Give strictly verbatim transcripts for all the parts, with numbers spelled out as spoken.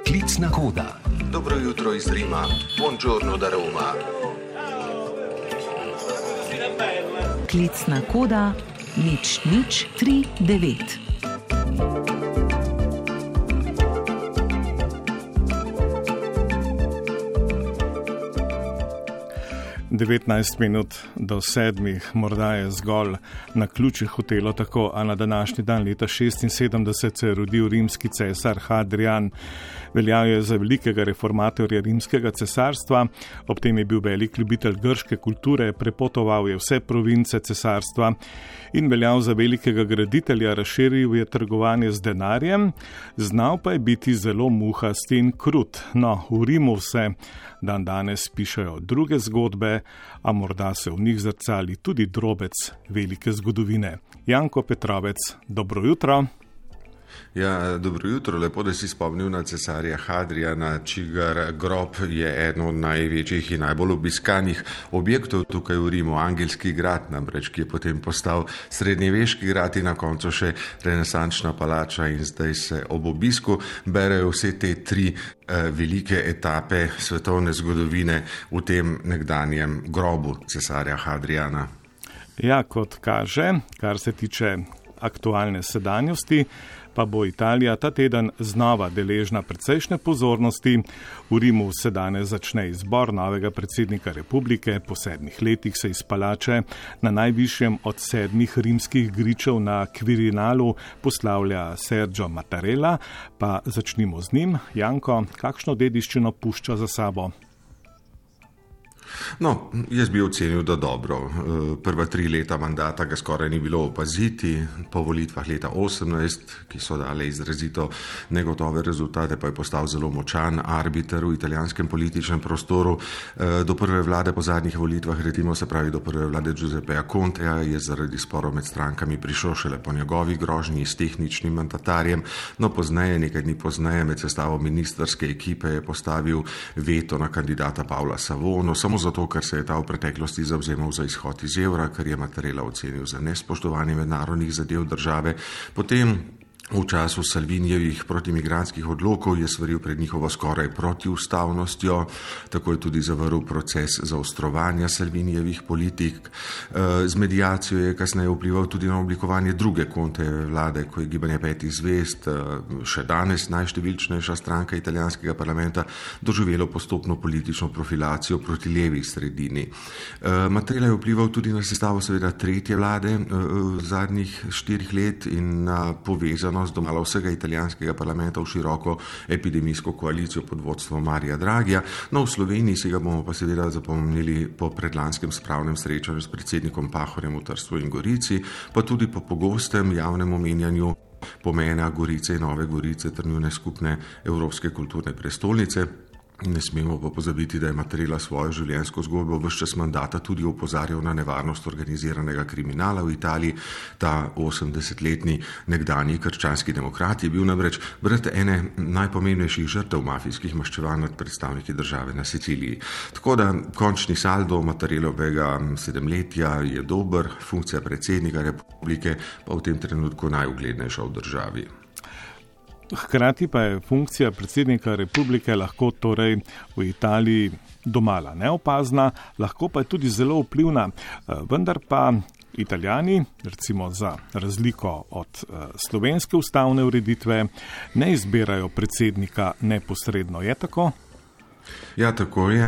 Klicna koda. Dobro jutro iz Rima. Buongiorno da Roma. Klicna koda nič nič tri devet. devetnajst minut do sedmih, morda je zgolj na ključih hotelo tako, a na današnji dan leta šestinsedemdeset se je rodil rimski cesar Hadrian. Veljal je za velikega reformatorja rimskega cesarstva, ob tem je bil velik ljubitelj grške kulture, prepotoval je vse province cesarstva in veljal za velikega graditelja, razširil je trgovanje z denarjem, znal pa je biti zelo muhast in krut. No, v Rimu se dan danes pišejo druge zgodbe, a morda se v njih zrcali tudi drobec velike zgodovine. Janko Petrovec, dobro jutro. Ja, dobro jutro, lepo, da si spomnil na cesarja Hadriana, čigar grob je eno od največjih in najbolj obiskanih objektov tukaj v Rimu, Angelski grad, namreč, ki je potem postal srednjeveški grad in na koncu še renesančna palača, in zdaj se ob obisku berejo vse te tri eh, velike etape svetovne zgodovine v tem nekdanjem grobu cesarja Hadriana. Ja, kot kaže, kar se tiče aktualne sedanjosti, pa bo Italija ta teden znova deležna precejšnje pozornosti. V Rimu se danes začne izbor novega predsednika republike. Po sedmih letih se iz palače na najvišjem od sedmih rimskih gričev na Quirinalu poslavlja Sergio Mattarella. Pa začnimo z njim. Janko, kakšno dediščino pušča za sabo? No, jaz bi ocenil, da dobro. Prva tri leta mandata ga skoraj ni bilo opaziti, po volitvah leta osemnajst, ki so dale izrazito negotove rezultate, pa je postal zelo močan arbiter v italijanskem političnem prostoru. Do prve vlade po zadnjih volitvah, recimo se pravi do prve vlade Giuseppeja Contea, je zaradi sporov med strankami prišel šele po njegovi grožnji s tehničnim mandatarjem, no pozneje, nekaj dni pozneje, med sestavo ministrske ekipe je postavil veto na kandidata Paola Savono, samo zato, ker se je ta v preteklosti zavzemal za izhod iz evra, kar je Mattarella ocenil za nespoštovanje mednarodnih zadev države. Potem v času Salvinijevih protimigrantskih odlokov je svaril pred njihovo skoraj protiustavnostjo, tako je tudi zavrl proces zaostrovanja Salvinijevih politik. Z medijacijo je kasneje vplival tudi na oblikovanje druge Contejeve vlade, ko je Gibanje petih zvezd, še danes najštevilčnejša stranka italijanskega parlamenta, doživelo postopno politično profilacijo proti levi sredini. Mattarella je vplival tudi na sestavo seveda tretje vlade v zadnjih štirih let in na povezano domala vsega italijanskega parlamenta v široko epidemijsko koalicijo pod vodstvom Marija Draghija. No, v Sloveniji si ga bomo pa seveda zapomnili po predlanskem spravnem srečanju s predsednikom Pahorjem v Trstu in Gorici, pa tudi po pogostem javnem omenjanju pomena Gorice in Nove Gorice ter njune skupne evropske kulturne prestolnice. Ne smemo pa pozabiti, da je Mattarella svojo življenjsko zgodbo ves čas mandata tudi opozarjal na nevarnost organiziranega kriminala v Italiji. Ta osemdesetletni nekdanji krščanski demokrat je bil namreč brat ene najpomembnejših žrtev mafijskih maščevanj nad predstavniki države na Siciliji. Tako da končni saldo Mattarellovega sedemletja je dober, funkcija predsednika republike pa v tem trenutku najuglednejša v državi. Hkrati pa je funkcija predsednika republike lahko torej v Italiji domala neopazna, lahko pa je tudi zelo vplivna, vendar pa Italijani, recimo za razliko od slovenske ustavne ureditve, ne izbirajo predsednika neposredno. Je tako? Ja, tako je.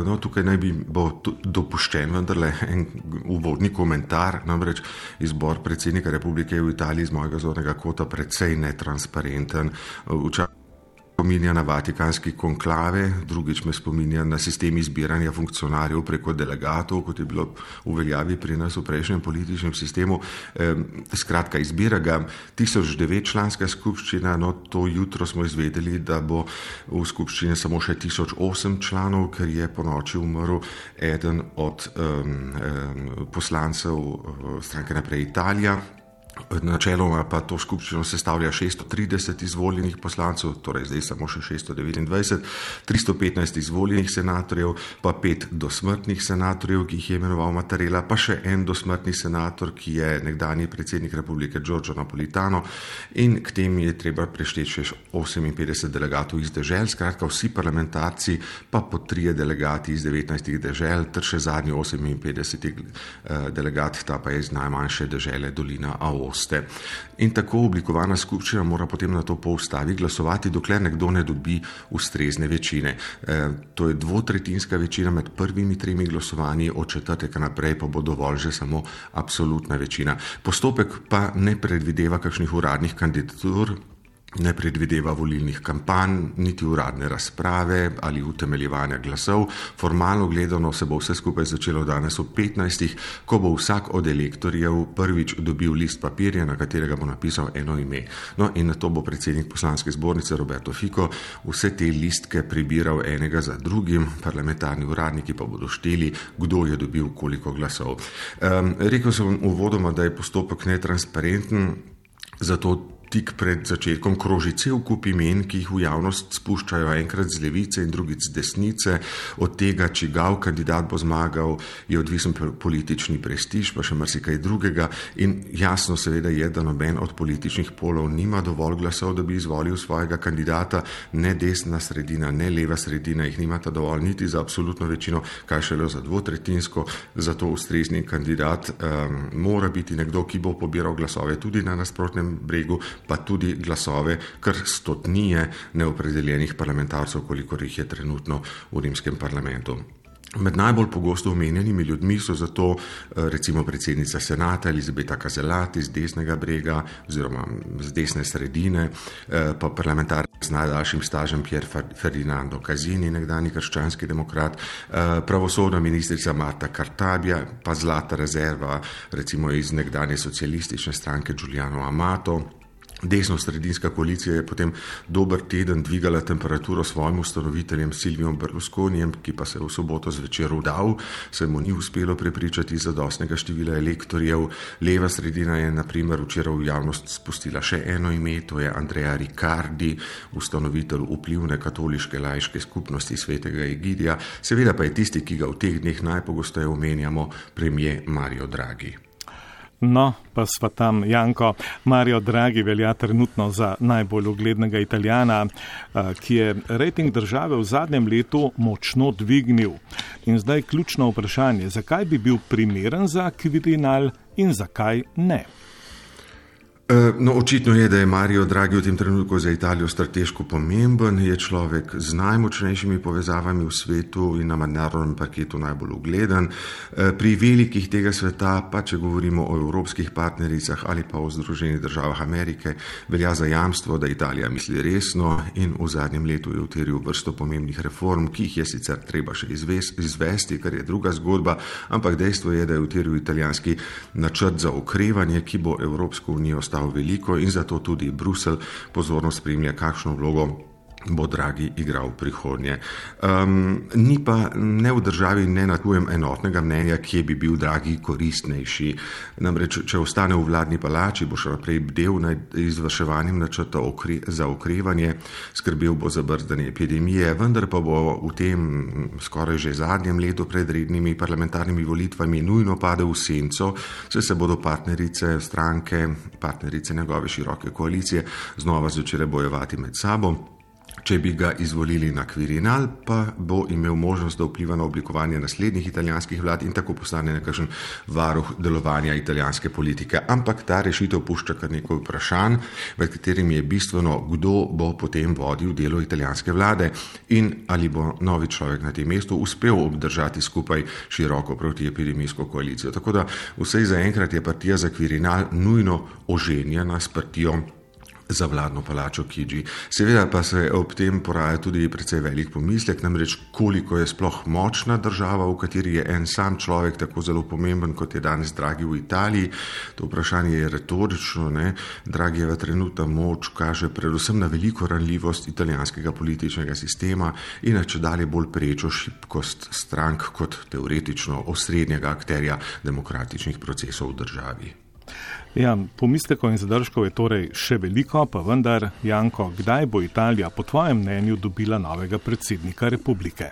No, tukaj naj bi bo dopuščen vendarle en uvodni komentar, namreč izbor predsednika republike v Italiji z mojega zornega kota precej netransparenten. Včasih spominja na vatikanski konklave, drugič me spominja na sistem izbiranja funkcionarjev preko delegatov, kot je bilo v veljavi pri nas v prejšnjem političnem sistemu. Skratka, izbira ga tisoč devet članska skupščina, no to jutro smo izvedeli, da bo v skupščini samo še tisoč osem članov, ker je po noči umrl eden od um, um, poslancev stranke Naprej Italija. Načeloma pa to skupščino sestavlja šeststo trideset izvoljenih poslancev, torej zdaj samo še šeststo devetindvajset, tristo petnajst izvoljenih senatorjev, pa pet dosmrtnih senatorjev, ki jih je imenoval Mattarella, pa še en dosmrtni senator, ki je nekdanji predsednik republike Giorgio Napolitano, in k tem je treba prešteti še oseminpetdeset delegatov iz dežel, skratka vsi parlamentarci, pa po trije delegati iz devetnajstih dežel, ter še zadnji oseminpetdeseti delegat, ta pa je iz najmanjše dežele Dolina Aoste. In tako oblikovana skupščina mora potem na to po ustavi glasovati, dokler nekdo ne dobi ustrezne večine. E, to je dvotretjinska večina med prvimi tremi glasovanji, od četrtega naprej pa bo dovolj že samo absolutna večina. Postopek pa ne predvideva kakšnih uradnih kandidatur, ne predvideva volilnih kampanj, niti uradne razprave ali utemeljevanja glasov. Formalno gledano se bo vse skupaj začelo danes ob petnajstih, ko bo vsak od elektorjev prvič dobil list papirja, na katerega bo napisal eno ime. No in na to bo predsednik poslanske zbornice Roberto Fico vse te listke prebiral enega za drugim, parlamentarni uradniki pa bodo šteli, kdo je dobil koliko glasov. Um, rekel sem uvodoma, da je postopek netransparenten, zato tik pred začetkom kroži cel kup imen, ki jih v javnost spuščajo enkrat z levice in drugič z desnice. Od tega, čigav kandidat bo zmagal, je odvisen politični prestiž, pa še marsikaj drugega. In jasno seveda je, da noben od političnih polov nima dovolj glasov, da bi izvolil svojega kandidata. Ne desna sredina, ne leva sredina jih nimata dovolj niti za absolutno večino, kaj šele za dvotretjinsko. Zato ustrezni kandidat um, mora biti nekdo, ki bo pobiral glasove tudi na nasprotnem bregu, pa tudi glasove kar stotnije neopredeljenih parlamentarcev, kolikor jih je trenutno v rimskem parlamentu. Med najbolj pogosto omenjenimi ljudmi so zato recimo predsednica senata Elisabetta Casellati z desnega brega oziroma z desne sredine, pa parlamentar z najdaljšim stažem Pier Ferdinando Casini, nekdanji krščanski demokrat, pravosodna ministrica Marta Cartabia, pa zlata rezerva recimo iz nekdanje socialistične stranke Giuliano Amato. Desno-sredinska koalicija je potem dober teden dvigala temperaturo svojim ustanoviteljem Silviom Berlusconijem, ki pa se je v soboto zvečer vdal, se mu ni uspelo prepričati zadostnega števila elektorjev. Leva sredina je na primer včeraj v javnost spustila še eno ime, to je Andrea Riccardi, ustanovitelj vplivne katoliške laiške skupnosti Svetega Egidija. Seveda pa je tisti, ki ga v teh dneh najpogosteje omenjamo, premier Mario Draghi. No, pa sva tam, Janko. Mario Draghi velja trenutno za najbolj uglednega Italijana, ki je rejting države v zadnjem letu močno dvignil. In zdaj ključno vprašanje, zakaj bi bil primeren za Quirinal in zakaj ne? No, očitno je, da je Mario Draghi v tem trenutku za Italijo strateško pomemben, je človek z najmočnejšimi povezavami v svetu in na mednarodnem parketu najbolj ugleden. Pri velikih tega sveta, pa če govorimo o evropskih partnericah ali pa o Združenih državah Amerike, velja za jamstvo, da Italija misli resno in v zadnjem letu je utiril vrsto pomembnih reform, ki jih je sicer treba še izvesti, kar je druga zgodba, ampak dejstvo je, da je utiril italijanski načrt za okrevanje, ki bo Evropsko unijo ostal veliko in zato tudi Bruselj pozorno spremlja, kakšno vlogo bo Draghi igral v prihodnje. Um, ni pa ne v državi ne natujem enotnega mnenja, kje bi bil Draghi koristnejši. Namreč, če ostane v vladni palači, bo še naprej bdel nad izvrševanjem načrta okre, za okrevanje, skrbel bo za brzdanje epidemije, vendar pa bo v tem skoraj že zadnjem letu pred rednimi parlamentarnimi volitvami nujno padel v senco, saj se bodo partnerice stranke, partnerice njegove široke koalicije znova začele bojevati med sabo. Če bi ga izvolili na Quirinal, pa bo imel možnost, da vpliva na oblikovanje naslednjih italijanskih vlad in tako postane nekakšen varuh delovanja italijanske politike. Ampak ta rešitev pušča kar nekaj vprašanj, med katerimi je bistveno, kdo bo potem vodil delo italijanske vlade in ali bo novi človek na tem mestu uspel obdržati skupaj široko protiepidemijsko koalicijo. Tako da vsej zaenkrat je partija za Quirinal nujno oženjena s partijo za vladno palačo Chigi. Seveda pa se ob tem poraja tudi precej velik pomislek, namreč koliko je sploh močna država, v kateri je en sam človek tako zelo pomemben, kot je danes Draghi v Italiji. To vprašanje je retorično, ne? Draghijeva trenutna moč kaže predvsem na veliko ranljivost italijanskega političnega sistema in na čedalje bolj prečo šibkost strank kot teoretično osrednjega akterja demokratičnih procesov v državi. Ja, pomislekov in zadržkov je torej še veliko, pa vendar, Janko, kdaj bo Italija po tvojem mnenju dobila novega predsednika republike?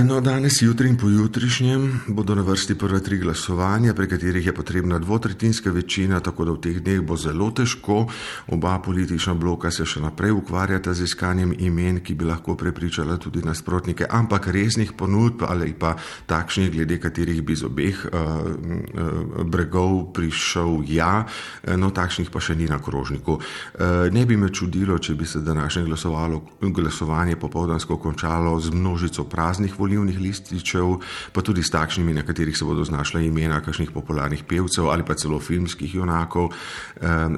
No, danes, jutri in pojutrišnjem bodo na vrsti prva tri glasovanja, pri katerih je potrebna dvotretjinska večina, tako da v teh dneh bo zelo težko. Oba politična bloka se še naprej ukvarjata z iskanjem imen, ki bi lahko prepričala tudi nasprotnike, ampak resnih ponudb ali pa takšnih, glede katerih bi z obeh uh, uh, bregov prišel ja, no takšnih pa še ni na krožniku. Uh, ne bi me čudilo, če bi se današnje glasovanje popoldansko končalo z množico praznih volilnih lističev, pa tudi s takšnimi, na katerih se bodo znašla imena kakšnih popularnih pevcev ali pa celo filmskih junakov.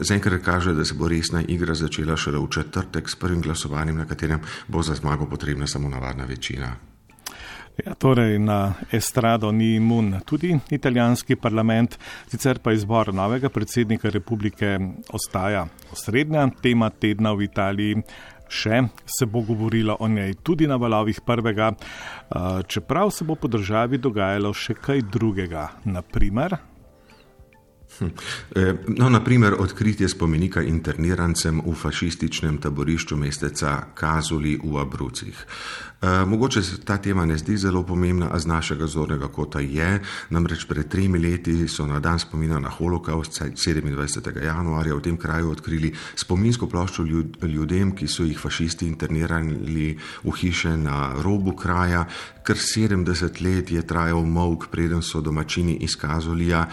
Zaenkrat kaže, da se bo resna igra začela šele v četrtek s prvim glasovanjem, na katerem bo za zmago potrebna samo navadna večina. Ja, torej na estrado ni imun tudi italijanski parlament, sicer pa izbor novega predsednika republike ostaja osrednja tema tedna v Italiji. Še se bo govorilo o njej tudi na valovih prvega, čeprav se bo po državi dogajalo še kaj drugega, naprimer. No, naprimer, odkritje spomenika internirancem v fašističnem taborišču mesteca Casoli v Abruzzih. E, mogoče se ta tema ne zdi zelo pomembna, a z našega zornega kota je. Namreč pred tremi leti so na dan spomina na holokaust sedemindvajsetega januarja v tem kraju odkrili spominsko ploščo ljudem, ki so jih fašisti internirali v hiše na robu kraja. Kar sedemdeset let je trajal molk, preden so domačini iz Casolija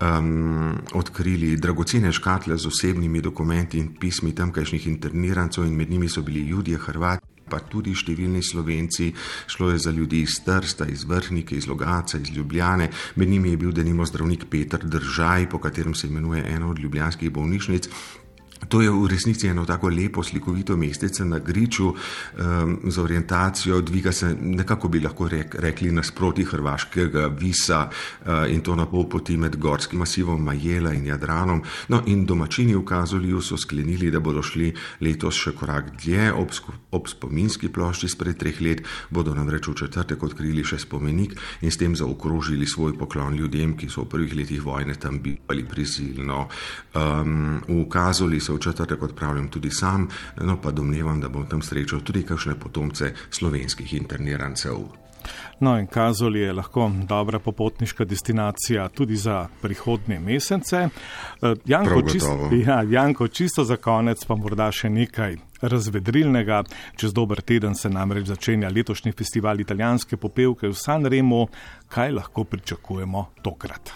um, odkrili dragocene škatle z osebnimi dokumenti in pismi tamkajšnjih internirancev, in med njimi so bili Judje, Hrvati, pa tudi številni Slovenci. Šlo je za ljudi iz Trsta, iz Vrhnike, iz Logatca, iz Ljubljane. Med njimi je bil denimo zdravnik Peter Držaj, po katerem se imenuje ena od ljubljanskih bolnišnic. To je v resnici eno tako lepo slikovito mestece na griču um, z orientacijo, dviga se, nekako bi lahko rek, rekli, nasproti hrvaškega Visa uh, in to na pol poti med gorskim masivom Majela in Jadranom. No, in domačini v Casoliju so sklenili, da bodo šli letos še korak dlje. Ob, ob spominski plošči spred treh let bodo namreč v četrtek odkrili še spomenik in s tem zaokrožili svoj poklon ljudem, ki so v prvih letih vojne tam bili prisilno. Um, v Casoli v četrtek odpravljam tudi sam, no pa domnevam, da bom tam srečal tudi kakšne potomce slovenskih internirancev. No in Casoli je lahko dobra popotniška destinacija tudi za prihodnje mesece. Janko, čisto, ja, Janko, čisto za konec pa morda še nekaj razvedrilnega. Čez dober teden se namreč začenja letošnji festival italijanske popevke v Sanremu. Kaj lahko pričakujemo tokrat?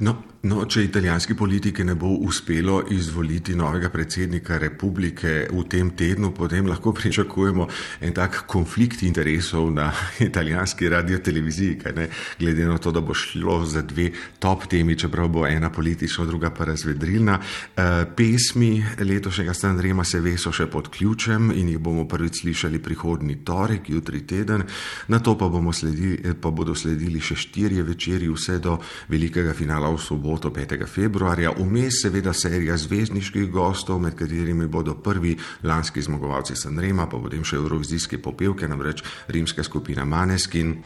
No, no, če italijanski politiki ne bo uspelo izvoliti novega predsednika republike v tem tednu, potem lahko pričakujemo en tak konflikt interesov na italijanski radioteleviziji, kaj ne, glede na to, da bo šlo za dve top temi, čeprav bo ena politična, druga pa razvedrilna. E, pesmi letošnjega Sanrema se ve so še pod ključem in jih bomo prvič slišali prihodnji torek, jutri teden. Na to pa, bomo sledili, pa bodo sledili še štirje večeri vse do velikega finala v soboto petega februarja. Vmes seveda serija zvezdniških gostov, med katerimi bodo prvi lanski zmagovalci Sanrema, pa potem še evrovizijske popevke, namreč rimska skupina Maneskin.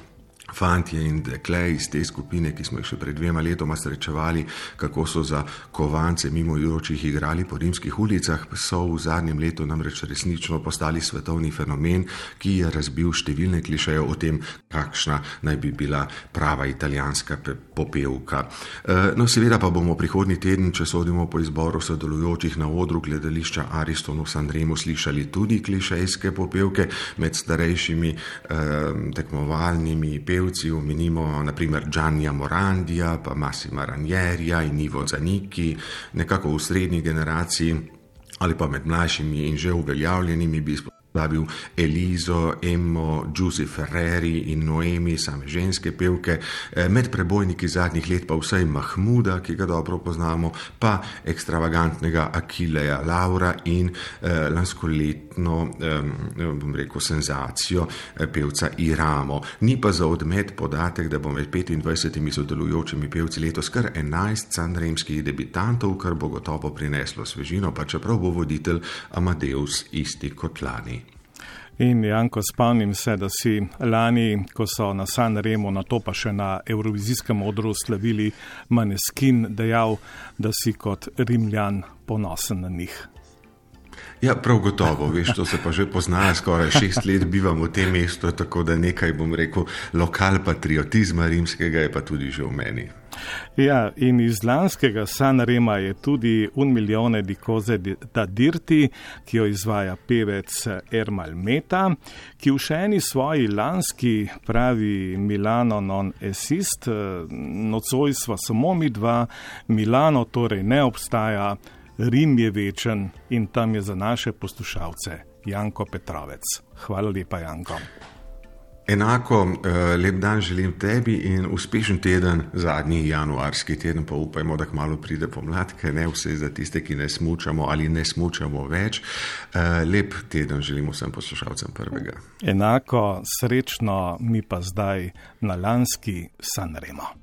Fantje in dekle iz te skupine, ki smo jih še pred dvema letoma srečevali, kako so za kovance mimoidočih igrali po rimskih ulicah, so v zadnjem letu namreč resnično postali svetovni fenomen, ki je razbil številne klišeje o tem, kakšna naj bi bila prava italijanska popevka. No, seveda pa bomo prihodnji teden, če sodimo po izboru sodelujočih na odru gledališča Ariston v Sanremu, slišali tudi klišejske popevke med starejšimi eh, tekmovalnimi pevci. Omenimo naprimer Giannia Morandija, pa Massima Ranierija in Ivo Zanicchi, nekako v srednji generaciji ali pa med mlajšimi in že uveljavljenimi bi izpostavil Elizo, Emmo, Giusy Ferreri in Noemi, same ženske pevke, med prebojniki zadnjih let pa vsaj Mahmuda, ki ga dobro poznamo, pa ekstravagantnega Achilleja Laura in eh, lanskoletno, eh, bom rekel, senzacijo eh, pevca Iramo. Ni pa za odmet podatek, da bo med petindvajsetimi sodelujočimi pevci letos kar enajst sanremskih debitantov, kar bo gotovo prineslo svežino, pa čeprav bo voditelj Amadeus isti kot lani. In Janko, spomnim se, da si lani, ko so na San Remu, na to pa še na Evrovizijskem odru slavili Maneskin, dejal, da si kot Rimljan ponosen na njih. Ja, prav gotovo, veš, to se pa že pozna, skoraj šest let bivam v tem mestu, tako da nekaj, bom rekel, lokal patriotizma rimskega je pa tudi že v meni. Ja, in iz lanskega San Rema je tudi Un milione di cose da dirti, ki jo izvaja pevec Ermal Meta, ki v še eni svoji lanski pravi Milano non esist, nocoj sva samo mi dva, Milano torej ne obstaja, Rim je večen in tam je za naše poslušalce Janko Petrovec. Hvala lepa, Janko. Enako lep dan želim tebi in uspešen teden, zadnji januarski teden, pa upajmo, da kmalu pride pomlad, ker ne vse za tiste, ki ne smučamo ali ne smučamo več. Lep teden želim vsem poslušalcem prvega. Enako srečno mi pa zdaj na lanski San Remo.